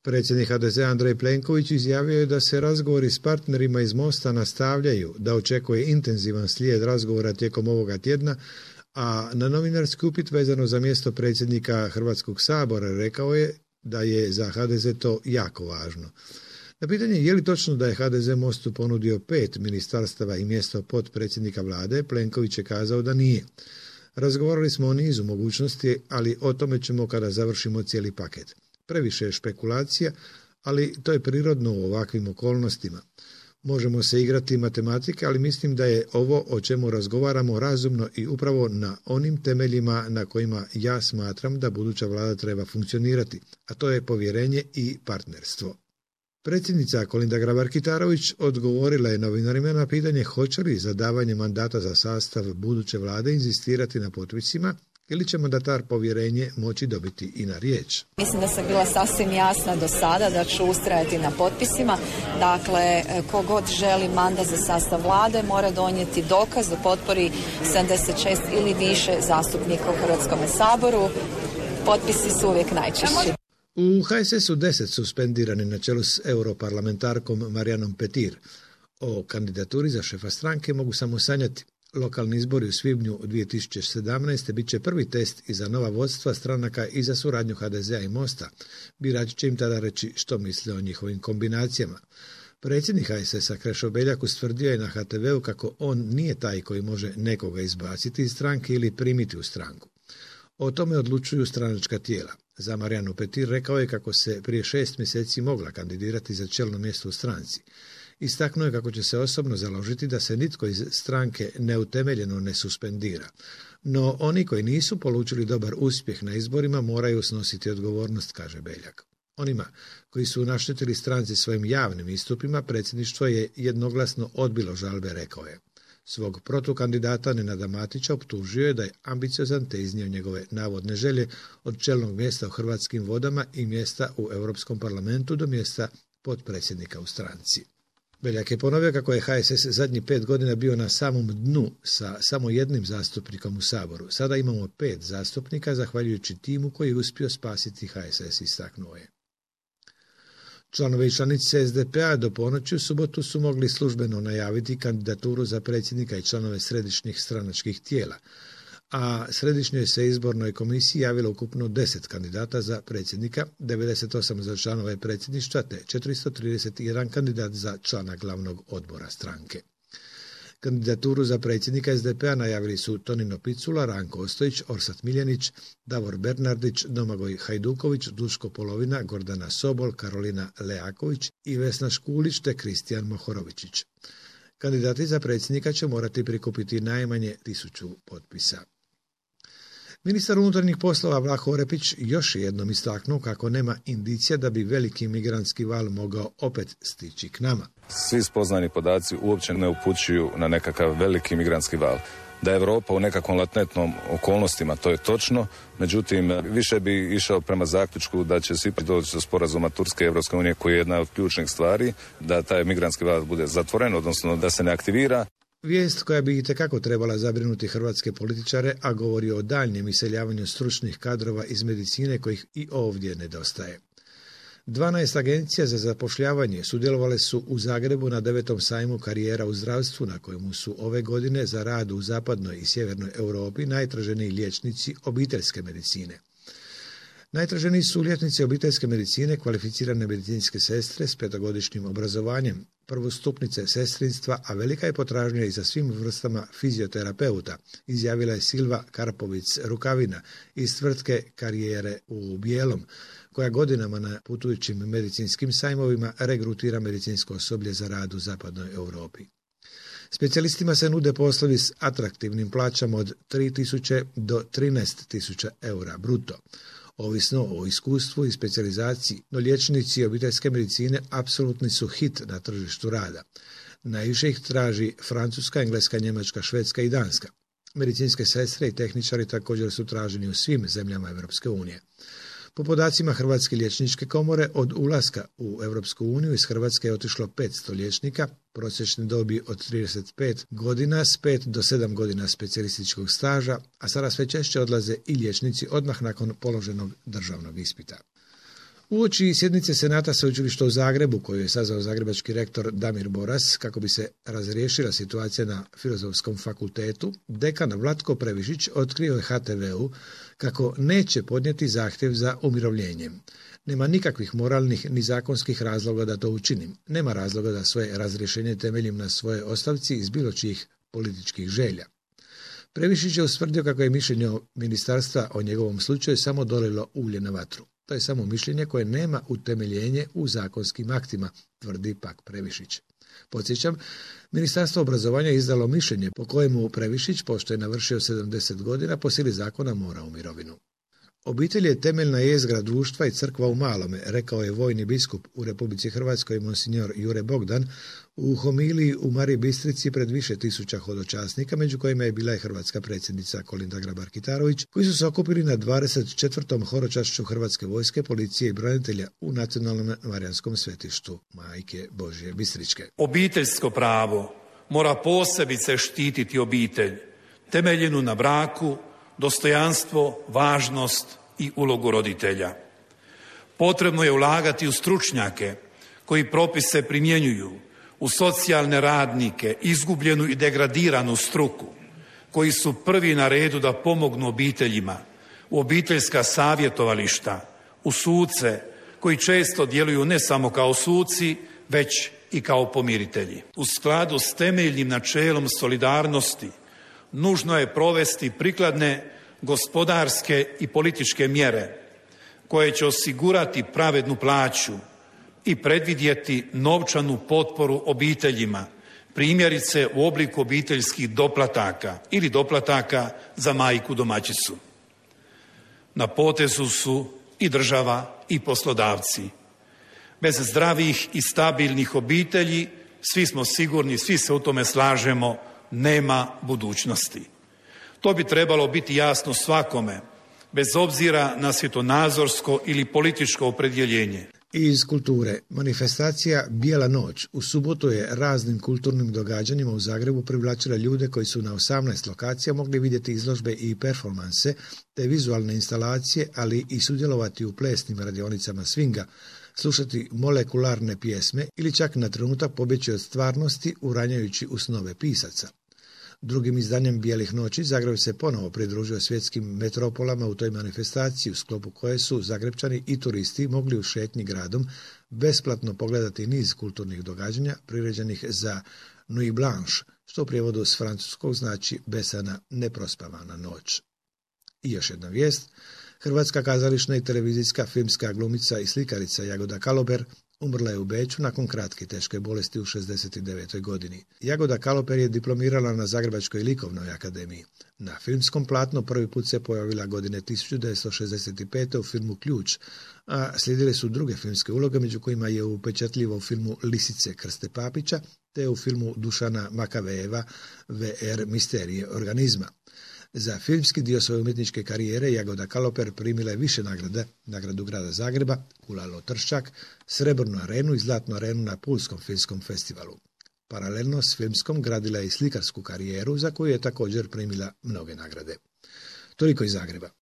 Predsjednik HDZ Andrej Plenković izjavio je da se razgovori s partnerima iz Mosta nastavljaju, da očekuje intenzivan slijed razgovora tijekom ovoga tjedna, a na novinarski upit vezano za mjesto predsjednika Hrvatskog sabora rekao je da je za HDZ to jako važno. Na pitanje je li točno da je HDZ Mostu ponudio 5 ministarstava i mjesto potpredsjednika vlade, Plenković je kazao da nije. Razgovarali smo o nizu mogućnosti, ali o tome ćemo kada završimo cijeli paket. Previše je špekulacija, ali to je prirodno u ovakvim okolnostima. Možemo se igrati matematike, ali mislim da je ovo o čemu razgovaramo razumno i upravo na onim temeljima na kojima ja smatram da buduća vlada treba funkcionirati, a to je povjerenje i partnerstvo. Predsjednica Kolinda Grabar-Kitarović odgovorila je novinarima na pitanje hoće li za davanje mandata za sastav buduće vlade inzistirati na potpisima ili će mandatar povjerenje moći dobiti i na riječ. Mislim da sam bila sasvim jasna do sada da ću ustrajati na potpisima. Dakle, kogod želi mandat za sastav vlade mora donijeti dokaz o potpori 76 ili više zastupnika u Hrvatskom saboru. Potpisi su uvijek najčešći. U HSS-u 10 suspendirani na čelu s europarlamentarkom Marijanom Petir. O kandidaturi za šefa stranke mogu samo sanjati. Lokalni izbori u svibnju 2017. bit će prvi test i za nova vodstva stranaka i za suradnju HDZ-a i Mosta. Birači će im tada reći što misle o njihovim kombinacijama. Predsjednik HSS-a Krešo Beljak ustvrdio je na HTV-u kako on nije taj koji može nekoga izbaciti iz stranke ili primiti u stranku. O tome odlučuju stranačka tijela. Za Marijanu Petir rekao je kako se prije 6 mjeseci mogla kandidirati za čelno mjesto u stranci. Istaknuo je kako će se osobno založiti da se nitko iz stranke neutemeljeno ne suspendira. No oni koji nisu polučili dobar uspjeh na izborima moraju snositi odgovornost, kaže Beljak. Onima koji su naštetili stranci svojim javnim istupima, predsjedništvo je jednoglasno odbilo žalbe, rekao je. Svog protukandidata Nenada Matića optužio je da je ambiciozan te iznio njegove navodne želje od čelnog mjesta u Hrvatskim vodama i mjesta u Europskom parlamentu do mjesta potpredsjednika u stranci. Beljak je ponovio kako je HSS zadnjih 5 godina bio na samom dnu sa samo jednim zastupnikom u Saboru. Sada imamo 5 zastupnika zahvaljujući timu koji je uspio spasiti HSS, istaknuo je. Članovi i članice SDP-a do ponoći u subotu su mogli službeno najaviti kandidaturu za predsjednika i članove središnjih stranačkih tijela, a središnjoj se izbornoj komisiji javilo ukupno 10 kandidata za predsjednika, 98 za članove predsjedništva te 431 kandidat za člana glavnog odbora stranke. Kandidaturu za predsjednika SDP-a najavili su Tonino Picula, Ranko Ostojić, Orsat Miljenić, Davor Bernardić, Domagoj Hajduković, Duško Polovina, Gordana Sobol, Karolina Leaković i Vesna Škulić te Kristijan Mohorovičić. Kandidati za predsjednika će morati prikupiti najmanje 1000 potpisa. Ministar unutarnjih poslova Vlaho Orepić još jednom istaknuo kako nema indicija da bi veliki migrantski val mogao opet stići k nama. Svi spoznani podaci uopće ne upućuju na nekakav veliki migrantski val. Da je Europa u nekakvom latentnom okolnostima, to je točno, međutim više bi išao prema zaključku da će svi doći do sporazuma Turske i Europske unije koji je jedna od ključnih stvari, da taj migrantski val bude zatvoren, odnosno da se ne aktivira. Vijest koja bi itekako trebala zabrinuti hrvatske političare, a govori o daljnjem iseljavanju stručnih kadrova iz medicine kojih i ovdje nedostaje. 12 agencija za zapošljavanje sudjelovale su u Zagrebu na 9. sajmu karijera u zdravstvu na kojemu su ove godine za rad u zapadnoj i sjevernoj Europi najtraženiji liječnici obiteljske medicine. Najtraženiji su liječnici obiteljske medicine, kvalificirane medicinske sestre s 5-godišnjim obrazovanjem, prvostupnice sestrinstva, a velika je potražnja i za svim vrstama fizioterapeuta, izjavila je Silva Karpovic-Rukavina iz tvrtke Karijere u Bijelom, koja godinama na putujućim medicinskim sajmovima regrutira medicinsko osoblje za rad u zapadnoj Europi. Specijalistima se nude poslovi s atraktivnim plaćama od 3.000 do 13.000 eura bruto. Ovisno o iskustvu i specijalizaciji, no liječnici obiteljske medicine apsolutni su hit na tržištu rada. Najviše ih traži Francuska, Engleska, Njemačka, Švedska i Danska. Medicinske sestre i tehničari također su traženi u svim zemljama Europske unije. Po podacima Hrvatske liječničke komore, od ulaska u Europsku uniju iz Hrvatske je otišlo 500 liječnika, prosječne dobi od 35 godina s 5 do 7 godina specijalističkog staža, a sada sve češće odlaze i liječnici odmah nakon položenog državnog ispita. Uoči sjednice Senata Sveučilišta u Zagrebu, koju je sazvao zagrebački rektor Damir Boras, kako bi se razriješila situacija na Filozofskom fakultetu, dekan Vlatko Previšić otkrio je HTV-u kako neće podnijeti zahtjev za umirovljenjem. Nema nikakvih moralnih ni zakonskih razloga da to učinim. Nema razloga da svoje razrješenje temeljim na svoje ostavci iz bilo čijih političkih želja. Previšić je ustvrdio kako je mišljenje ministarstva o njegovom slučaju samo dolilo ulje na vatru. To je samo mišljenje koje nema utemeljenje u zakonskim aktima, tvrdi pak Previšić. Podsjećam, Ministarstvo obrazovanja je izdalo mišljenje po kojemu Previšić, pošto je navršio 70 godina, po sili zakona mora u mirovinu. Obitelj je temeljna jezgra društva i crkva u malome, rekao je vojni biskup u Republici Hrvatskoj monsinjor Jure Bogdan u homiliji u Mariji Bistrici pred više tisuća hodočasnika, među kojima je bila i hrvatska predsjednica Kolinda Grabar-Kitarović, koji su se okupili na 24. horočašću Hrvatske vojske, policije i branitelja u Nacionalnom marijanskom svetištu Majke Božje Bistričke. Obiteljsko pravo mora posebice štititi obitelj, temeljenu na braku, dostojanstvo, važnost i ulogu roditelja. Potrebno je ulagati u stručnjake koji propise primjenjuju, u socijalne radnike, izgubljenu i degradiranu struku, koji su prvi na redu da pomognu obiteljima, u obiteljska savjetovališta, u suce koji često djeluju ne samo kao suci, već i kao pomiritelji. U skladu s temeljnim načelom solidarnosti nužno je provesti prikladne gospodarske i političke mjere koje će osigurati pravednu plaću i predvidjeti novčanu potporu obiteljima, primjerice u obliku obiteljskih doplataka ili doplataka za majku domaćicu. Na potezu su i država i poslodavci. Bez zdravih i stabilnih obitelji, svi smo sigurni, svi se u tome slažemo, nema budućnosti. To bi trebalo biti jasno svakome, bez obzira na svjetonazorsko ili političko opredjeljenje. Iz kulture, manifestacija Bijela noć u subotu je raznim kulturnim događanjima u Zagrebu privlačila ljude koji su na 18 lokacija mogli vidjeti izložbe i performanse te vizualne instalacije, ali i sudjelovati u plesnim radionicama swinga, slušati molekularne pjesme ili čak na trenutak pobjeći od stvarnosti uranjajući u snove pisaca. Drugim izdanjem Bijelih noći Zagreb se ponovo pridružio svjetskim metropolama u toj manifestaciji u sklopu koje su Zagrebčani i turisti mogli u šetnji gradom besplatno pogledati niz kulturnih događanja priređenih za Nuit Blanche, što u prijevodu s francuskog znači besana neprospavana noć. I još jedna vijest. Hrvatska kazališna i televizijska filmska glumica i slikarica Jagoda Kaloper umrla je u Beču nakon kratke teške bolesti u 69. godini. Jagoda Kaloper je diplomirala na Zagrebačkoj likovnoj akademiji. Na filmskom platnu prvi put se pojavila godine 1965. u filmu Ključ, a slijedile su druge filmske uloge, među kojima je upečatljivo u filmu Lisice Krste Papića, te u filmu Dušana Makavejeva VR Misterije organizma. Za filmski dio svoje umjetničke karijere Jagoda Kaloper primila je više nagrada, nagradu grada Zagreba, Kulalo Trščak, Srebrnu arenu i Zlatnu arenu na Pulskom filmskom festivalu. Paralelno s filmskom gradila je i slikarsku karijeru za koju je također primila mnoge nagrade. Toliko iz Zagreba.